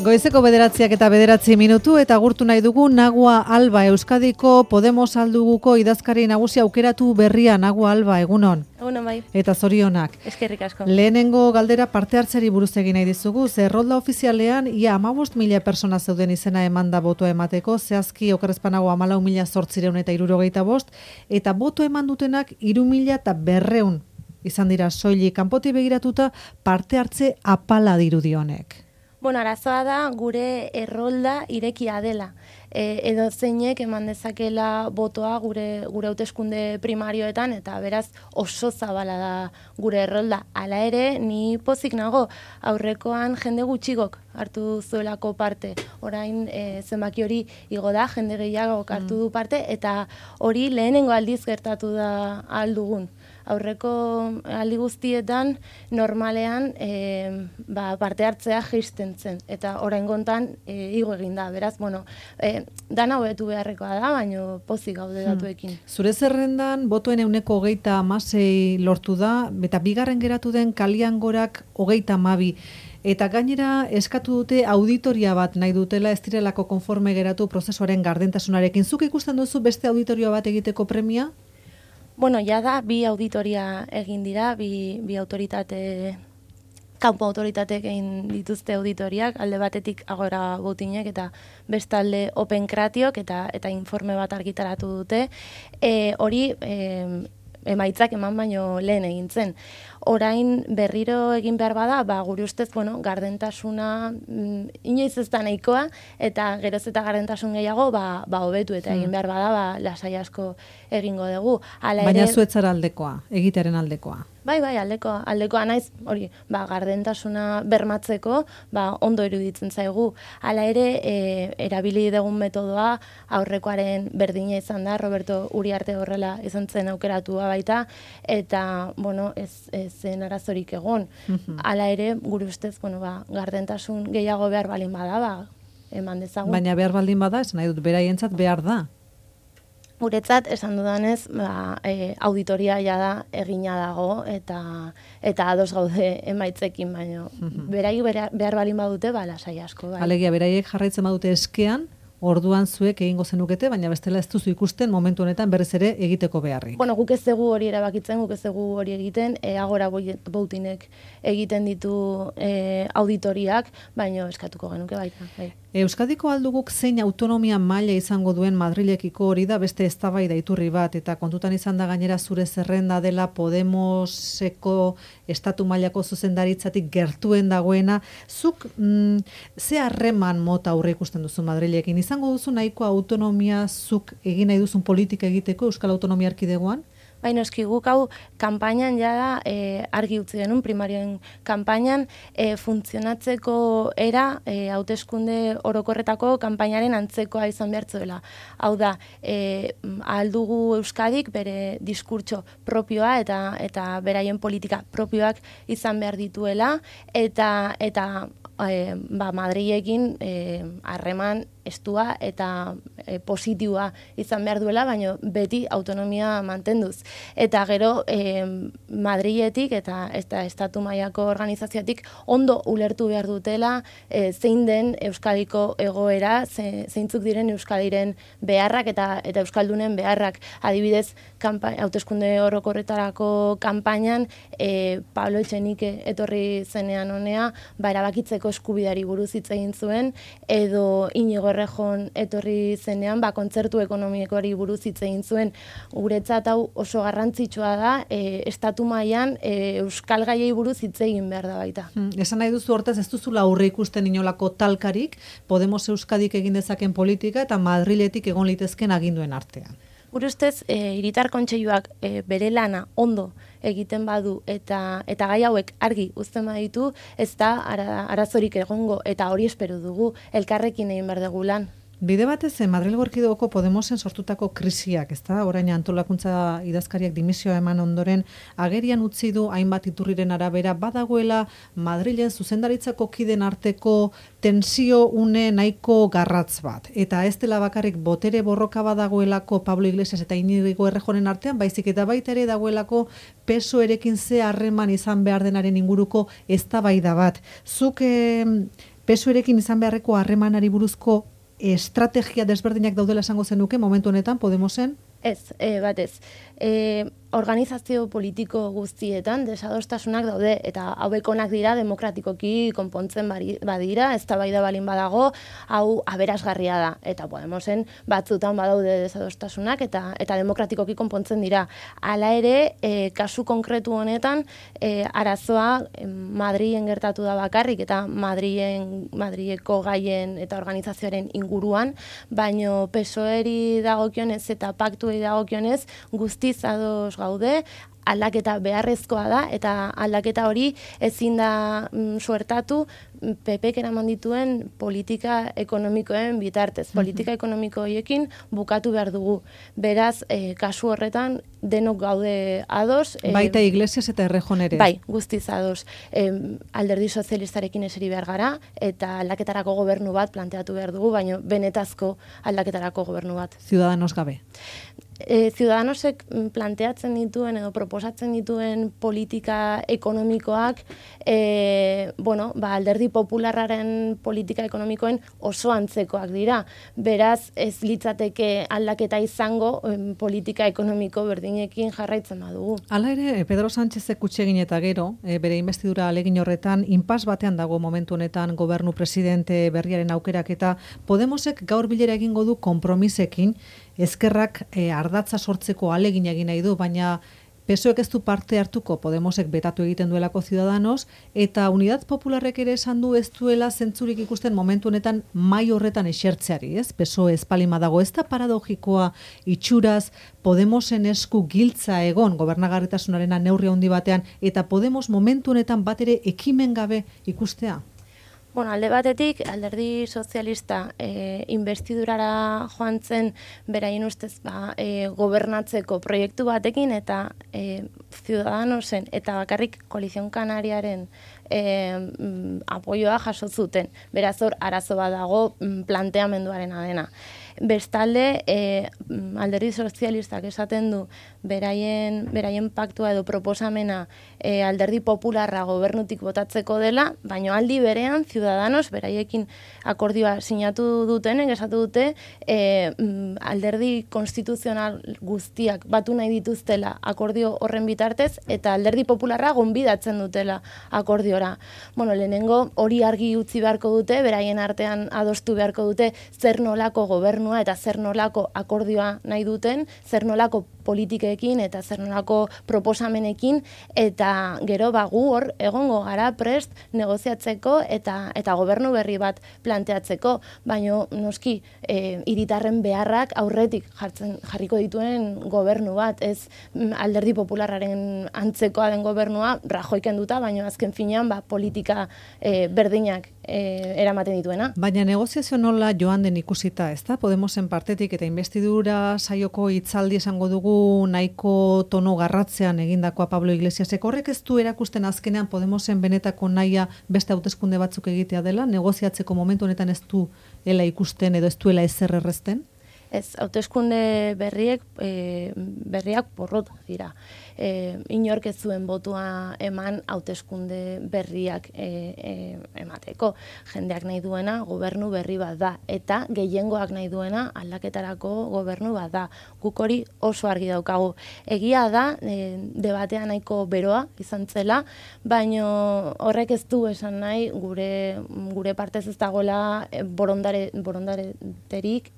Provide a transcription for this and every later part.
Goizeko 9:09 eta agurtu nahi dugu Nagua Alba, Euskadiko Podemos alduguko idazkari nagusia aukeratu berria. Nagua Alba, egunon. Egunon bai. Eta zorionak. Eskerrik asko. Lehenengo galdera parte hartzeri buruz egin nahi dizugu. Ze errolda ofizialean ia 15.000 persona zeuden izena emanda botoa emateko, zehazki okerrezpanago 14.865 eta boto eman dutenak 3.200 izan dira soilik. Kanpotik begiratuta parte hartze apala dirudionek. Bueno, arazoa da gure errolda irekia dela. Edo zeinek eman dezakela botoa gure hauteskunde primarioetan, eta beraz oso zabala da gure errolda. Hala ere, ni pozik nago, aurrekoan jende gutxigok hartu zuelako parte. Orain zenbaki hori igo da, jende gehiagok hartu du parte, eta hori lehenengo aldiz gertatu da aldugun. Aurreko aldi guztietan normalean parte hartzea jaisten zen, eta oraingontan igo egin da. Beraz, bueno, dana hobetu beharrekoa da, baina pozik gaude datuekin. Zure zerrendan botoen 26 lortu da, eta bigarren geratu den Kaliangorak 32. Eta gainera eskatu dute auditoria bat nahi dutela, ez direlako konforme geratu prozesuaren gardentasunarekin. Zuk ikusten duzu beste auditoria bat egiteko premia? Bueno, ja da, bi auditoria egin dira, bi autoritate, kanpo autoritateek egin dituzte auditoriak, alde batetik Agora Boutinek eta bestalde Open Kratiok eta informe bat argitaratu dute. Hori emaitzak eman baino lehen egin zen. Orain berriro egin behar bada, gure ustez, gardentasuna inoiz ez da nahikoa, eta geroz eta gardentasun gehiago, hobetu eta egin behar bada, lasai asko egingo dugu. Baina zuetzara aldekoa, egitearen aldekoa. Bai, aldekoa naiz, hori, gardentasuna bermatzeko, ondo iruditzen zaigu. Hala ere, erabili dugun metodoa aurrekoaren berdina izan da, Roberto Uriarte horrela izan zen aukeratua baita, eta, ez zen arazorik egon. Hala ere, gure ustez, gardentasun gehiago behar balin bada, eman dezagun. Baina behar baldin bada, esan nahi dut, beraientzat behar da. Guretzat, esan dudanez, auditoria da egina dago eta ados gaude emaitzekin, baino. Beraiek behar balin badute, lasai asko. Bai. Alegia, beraiek jarraitzen badute eskean, orduan zuek egingo zenukete, baina bestela ez duzu ikusten momentu honetan berriz ere egiteko beharrik. Guk ez dugu hori erabakitzen, guk ez dugu hori egiten, Agora Boutinek egiten ditu auditoriak, baina eskatuko genuke baita. Bai. Euskadiko alduguk zein autonomia maila izango duen Madrilekiko hori da beste eztabaida iturri bat, eta kontutan izan da gainera zure zerrenda dela Podemoseko estatu mailako zuzendaritzatik gertuen dagoena. Zuk ze harreman mota aurre ikusten duzu Madrilekin? Izango duzu nahiko autonomia zuk egin nahi duzun politika egiteko Euskal Autonomia Erkidegoan? Baina eski guk hau kanpainan jada argi utzi genuen, primarioen kanpainan funtzionatzeko era hauteskunde orokorretako kanpainaren antzekoa izan behartzuela. Hau da, aldugu Euskadik bere diskurtso propioa eta beraien politika propioak izan behar dituela, eta Madrilekin harreman estua eta positiboa izan behar duela, baina beti autonomia mantenduz. Eta gero Madriletik eta estatu mailako organizazioatik ondo ulertu behar dutela zein den Euskadiko egoera, zeintzuk diren Euskadiren beharrak eta Euskaldunen beharrak. Adibidez, hauteskunde orokorretarako kanpainan Pablo Etxenike etorri zenean honea, erabakitzeko eskubideari buruz hitz egin zuen, edo Inigo Errejon etorri zenean, kontzertu ekonomikoari buruz hitz egin zuen. Guretzat hau oso garrantzitsua da, estatu mailan euskal gaiei buruz hitz egin behar da baita. Esan nahi duzu hortaz, ez duzula aurre ikusten inolako talkarik, Podemos Euskadik egin dezaken politika eta Madriletik egon litezken aginduen artean. Gure ustez, hiritar kontseiluak bere lana ondo egiten badu eta gai hauek argi uzten baditu, ez da arazorik egongo, eta hori espero dugu elkarrekin egin behar dugu lan. Bide batez, Madrilgo Erkidegoko Podemosen sortutako krisiak, ezta? Orain antolakuntza idazkariak dimisioa eman ondoren, agerian utzi du hainbat iturriren arabera badagoela Madrilen zuzendaritzako kiden arteko tensio une nahiko garratz bat. Eta ez dela bakarrik botere borroka badagoelako Pablo Iglesias eta Inigo Errejonen artean, baizik eta baita ere dagoelako PSOErekin ze harreman izan behar denaren inguruko eztabaida bat. Zuk PSOErekin izan beharreko harremanari buruzko estrategia desberdinak daudela esango zenuke momentu honetan Podemosen? Ez, batez. Organizazio politiko guztietan desadostasunak daude eta hauek onak dira demokratikoki konpontzen badira, eztabaida balin badago, hau aberasgarria da eta Podemosen batzutan badaude desadostasunak eta demokratikoki konpontzen dira. Hala ere, kasu konkretu honetan arazoa Madrilen gertatu da bakarrik eta Madrileko gaien eta organizazioaren inguruan, baino PSOEri dagokionez eta paktuei dagokionez guztiz ados gaude, aldaketa beharrezkoa da eta aldaketa hori ezin da suertatu PPk eraman dituen politika ekonomikoen bitartez. Politika ekonomiko horiekin bukatu behar dugu. Beraz, kasu horretan denok gaude ados. Baita Iglesias eta Errejón ere. Bai, guztiz ados. Alderdi sozialistarekin eseri behar gara eta aldaketarako gobernu bat planteatu behar dugu, baina benetazko aldaketarako gobernu bat. Ciudadanos gabe. Ciudadanosek planteatzen dituen edo proposatzen dituen politika ekonomikoak alderdi popularraren politika ekonomikoen oso antzekoak dira. Beraz, ez litzateke aldaketa izango politika ekonomiko berdinekin jarraitzen badugu. Hala ere, Pedro Sánchezek kutsegin eta gero, bere investidura ahalegin horretan, inpas batean dago momentu honetan gobernu presidente berriaren aukerak eta Podemosek gaur bilera egingo du konpromisekin, ezkerrak ardatza sortzeko ahalegin egin nahi du, baina PSOEk ez du parte hartuko Podemosek betatu egiten duelako Ciudadanos, eta Unidad Popularrek ere esan du ez duela zentzurik ikusten momentu honetan mai horretan esertzeari, ez? PSOE espalima dago, ez da paradogikoa itxuraz Podemosen esku giltza egon gobernagarritasunaren neurri handi batean, eta Podemos momentu honetan bat ere ekimen gabe ikustea? Bueno, alde batetik, alderdi sozialista investidurara joan zen beraien ustez gobernatzeko proiektu batekin eta Ciudadanosen eta bakarrik Koalizion Kanariaren apoioa jaso zuten. Beraz hor arazo bat dago planteamenduarena dena. Bestalde, alderdi sozialistak esaten du beraien paktua edo proposamena alderdi popularra gobernutik botatzeko dela, baina aldi berean Ciudadanos beraiekin akordioa sinatu dutenek esatu dute alderdi konstituzional guztiak batu nahi dituztela akordio horren bitartez eta alderdi popularra gonbidatzen dutela akordiora. Bueno, lehenengo hori argi utzi beharko dute, beraien artean adostu beharko dute zer nolako gobernua eta zer nolako akordioa nahi duten, zer nolako politikekin eta zer nolako proposamenekin eta gero gu hor egongo gara prest negoziatzeko eta gobernu berri bat planteatzeko, baino noski hiritarren beharrak aurretik jarriko dituen gobernu bat, ez alderdi popularraren antzekoa den gobernua Rajoy kenduta, baino azken finean politika berdinak eramaten dituena. Baina negoziazio nola joan den ikusita, ez da? Podemosen partetik eta investidura saioko hitzaldi esango dugu nahiko tono garratzean egindakoa Pablo Iglesiasek. Horrek ez du erakusten azkenean Podemosen benetako nahia beste hauteskunde batzuk egitea dela? Negoziatzeko momentu honetan ez duela ikusten edo ez duela ezer errezten? Ez, hauteskunde berriak porrot dira. Inork ez zuen botua eman hauteskunde berriak emateko. Jendeak nahi duena gobernu berri bat da, eta gehiengoak nahi duena aldaketarako gobernu bat da. Guk hori oso argi daukagu. Egia da, debatea nahiko beroa izan zela, baino horrek ez du esan nahi gure partez ez dagoela borondaterik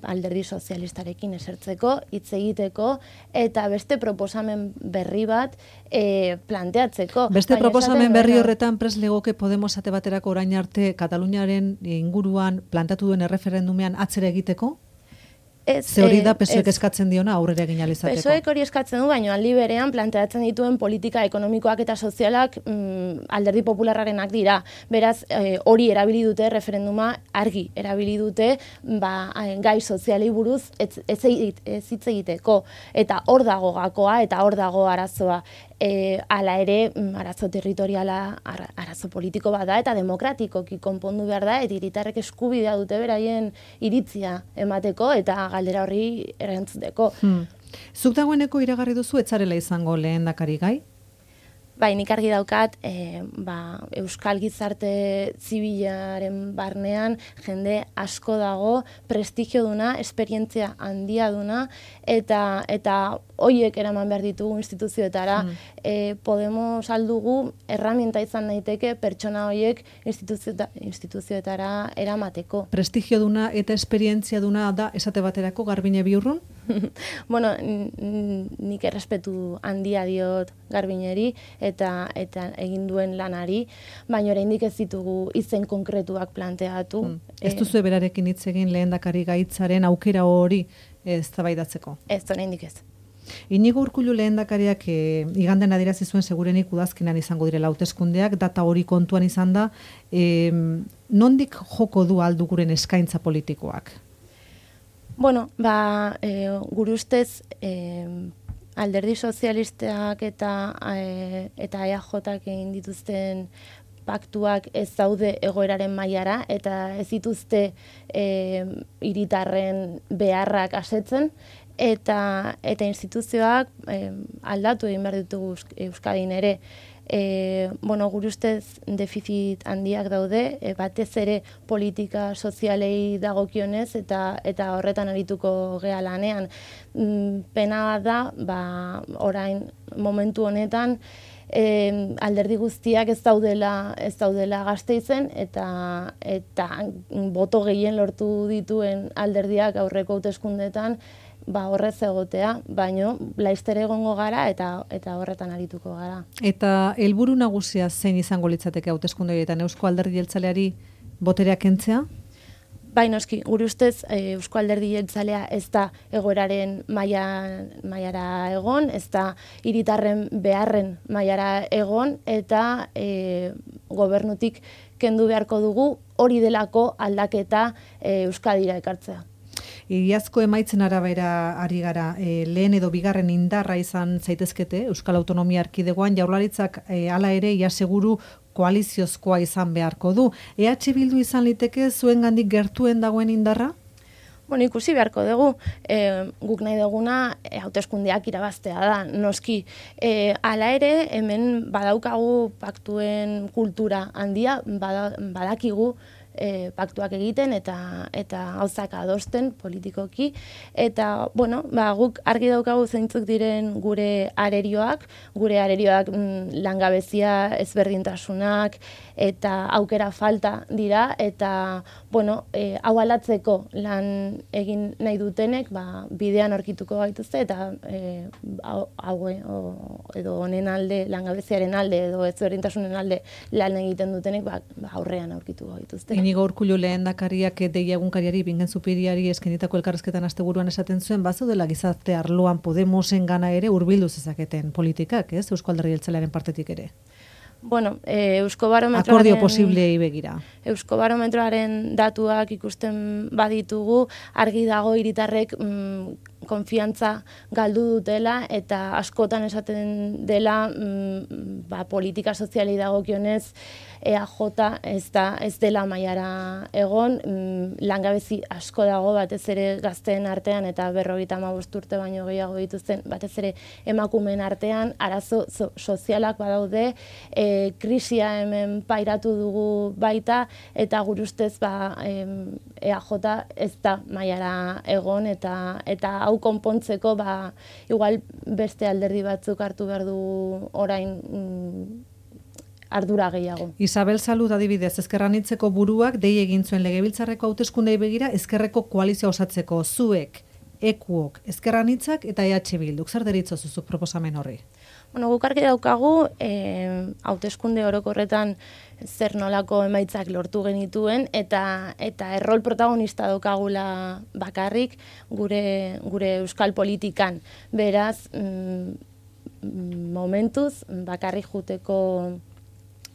alderdi sozialistarekin esertzeko, hitz egiteko eta beste proposamen berri bat planteatzeko. Beste proposamen berri horretan prest legoke Podemos ate baterako orain arte Kataluniaren inguruan plantatu duen erreferendumean atzera egiteko? Ze hori da PSOEk eskatzen diona aurrera egin ahal izateko. PSOEk hori eskatzen du, baina aldi berean planteatzen dituen politika ekonomikoak eta sozialak alderdi popularrarenak dira. Beraz, hori erabili dute referenduma argi, erabili dute gai sozialei buruz ez hitz egiteko. Eta hor dago gakoa eta hor dago arazoa. Hala ere, arazo territoriala, arazo politiko bat da eta demokratikoki konpondu behar da, eta hiritarrek eskubidea dute beraien iritzia emateko eta galdera horri erantzuteko. Zuk dagoeneko iragarri duzu etzarela izango lehendakari gai? Bai, nik argi daukat, Euskal Gizarte Zibilaren barnean jende asko dago, prestigio duna, esperientzia handia duna, eta hoiek eraman behar ditugu instituzioetara. Podemos aldugu erramienta izan daiteke pertsona hoiek instituzioetara eramateko. Prestigio duna eta esperientzia duna da esate baterako Garbine Biurrun? Bueno, nik errespetu handia diot Garbineri eta egin duen lanari, baina oraindik ez ditugu izen konkretuak planteatu. Ez duzu berarekin hitz egin lehendakari gaitzaren aukera hori eztabaidatzeko? Ez, oraindik ez. Inigo Urkullu lehendakariak igandean adierazi zuen segurenik udazkenean izango direla hauteskundeak, data hori kontuan izan da, nondik joko du alduguren eskaintza politikoak? Bueno, gure ustez alderdi sozialistak eta EAJak egin dituzten paktuak ez daude egoeraren mailara eta ez dituzte hiritarren beharrak asetzen eta instituzioak aldatu egin behar ditugu Euskadin ere. Gure ustez defizit handiak daude, batez ere politika sozialei dagokionez eta horretan arituko gea lanean. Pena da, orain momentu honetan, alderdi guztiak ez daudela Gasteizen eta boto gehien lortu dituen alderdiak aurreko hauteskundeetan horrez egotea, baino laizter egongo gara eta horretan arituko gara. Eta helburu nagusia zein izango litzateke hauteskunde horietan, Eusko Alderdi Jeltzaleari boterea kentzea? Bai, noski, gure ustez Eusko Alderdi Jeltzalea ez da egoeraren mailara egon, ez da hiritarren beharren mailara egon eta gobernutik kendu beharko dugu hori delako aldaketa Euskadira ekartzea. Iazko emaitzen arabera ari gara, lehen edo bigarren indarra izan zaitezkete Euskal Autonomia Erkidegoan, Jaurlaritzak hala ere ia seguru koaliziozkoa izan beharko du. EH Bildu izan liteke zuengandik gertuen dagoen indarra? Bueno, ikusi beharko dugu, guk nahi duguna hauteskundeak irabaztea da, noski. Hala ere, hemen badaukagu paktuen kultura handia, badakigu paktuak egiten eta gauzak adosten politikoki. Eta, guk argi daukagu zeintzuk diren gure arerioak langabezia ezberdintasunak eta aukera falta dira, eta, hau alatzeko lan egin nahi dutenek, bidean aurkituko gaituzte, eta edo honen alde, langabeziaren alde, edo ezberdintasunen alde lan egiten dutenek, aurrean aurkituko gaituzte. Inigo Urkullu lehendakariak Deia egunkariari Bingen Zupiriari eskenitako elkarrizketan asteburuan esaten zuen, bazaudela gizarte arloan Podemosen gana ere hurbildu zezaketen politikak, ez? Eusko Alderdi Jeltzalearen partetik ere. Akordio posiblei begira. Euskobarometroaren datuak ikusten baditugu, argi dago hiritarrek konfiantza galdu dutela eta askotan esaten dela politika soziali dagokionez EAJ ez dela mailara egon, langabezi asko dago batez ere gazteen artean eta 55 urte baino gehiago dituzten batez ere emakumeen artean arazo sozialak badaude, krisia hemen pairatu dugu baita eta gure ustez EAJ ez da mailara egon eta hau konpontzeko igual beste alderdi batzuk hartu behar du orain ardura gehiago. Isabel Salud adibidez, Ezker Anitzeko buruak dei egin zuen legebiltzarreko hauteskundei begira ezkerreko koalizioa osatzeko zuek, EKUok, Ezker Anitzak eta EH Bilduk. Zer deritzo zuzuk proposamen horri? Guk argi daukagu, hauteskunde orokorretan zer nolako emaitzak lortu genituen eta errol protagonista daukagula bakarrik gure euskal politikan. Beraz, momentuz bakarrik juteko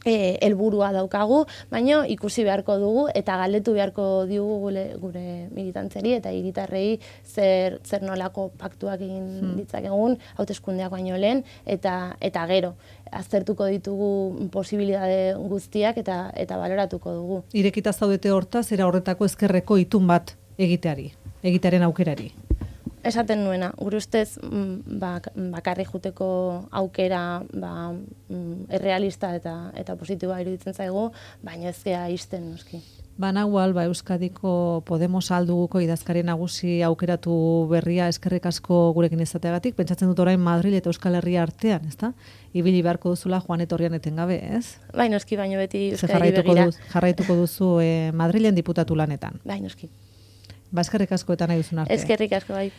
helburua daukagu, baina ikusi beharko dugu eta galdetu beharko diogu gure militantzeri eta hiritarrei zer nolako paktuak egin ditzakegun hauteskundeak baino lehen eta gero aztertuko ditugu posibilitate guztiak eta baloratuko dugu. Irekita zaudete hortaz, era horretako ezkerreko itun bat egitearen aukerari? esaten nuena, gure ustez bakarri juteko aukera errealista eta positiboa iruditzen zaigu, baina ez gea isten noski. Banagual, Euskadiko Podemos alduguko idazkari nagusi aukeratu berria, eskerrik asko gurekin izateagatik. Pentsatzen dut orain Madrid eta Euskal Herria artean, ezta? Ibili beharko duzula joan etorrian etengabe, ez? Bai, noski, baino beti Euskadi begira. Jarraituko duzu Madrilen diputatu lanetan. Bai, noski. Eskerrik asko eta nahi duzun arte. Eskerrik asko, bai.